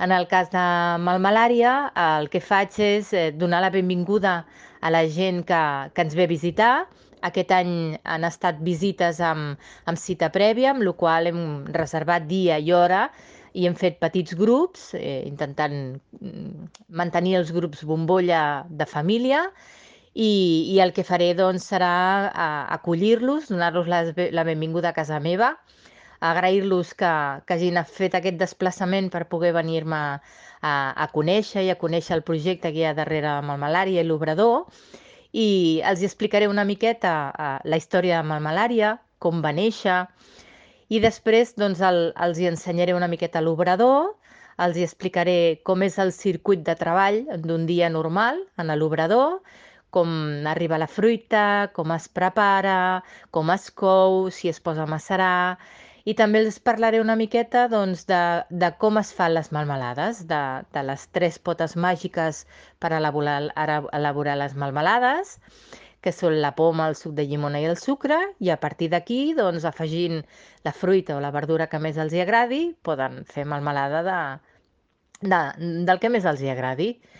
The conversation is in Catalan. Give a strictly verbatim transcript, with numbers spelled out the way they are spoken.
En el cas de Melmelària, el que faig és eh, donar la benvinguda a la gent que, que ens ve a visitar. Aquest any han estat visites amb, amb cita prèvia, amb la qual hem reservat dia i hora i hem fet petits grups, eh, intentant mm, mantenir els grups bombolla de família. I, i el que faré doncs, serà eh, acollir-los, donar-los la, la benvinguda a casa meva, agrair-los que, que hagin fet aquest desplaçament per poder venir-me a, a conèixer i a conèixer el projecte que hi ha darrere de Melmelària i l'Obrador, i els explicaré una miqueta uh, la història de Melmelària, com va néixer, i després doncs, el, els hi ensenyaré una miqueta l'Obrador, els hi explicaré com és el circuit de treball d'un dia normal en l'Obrador, com arriba la fruita, com es prepara, com es cou, si es posa a macerar, i també els parlaré una miqueta doncs, de, de com es fan les melmelades, de, de les tres potes màgiques per elaborar, ara- elaborar les melmelades, que són la poma, el suc de llimona i el sucre, i a partir d'aquí, doncs, afegint la fruita o la verdura que més els hi agradi, poden fer melmelada de, de, del que més els hi agradi.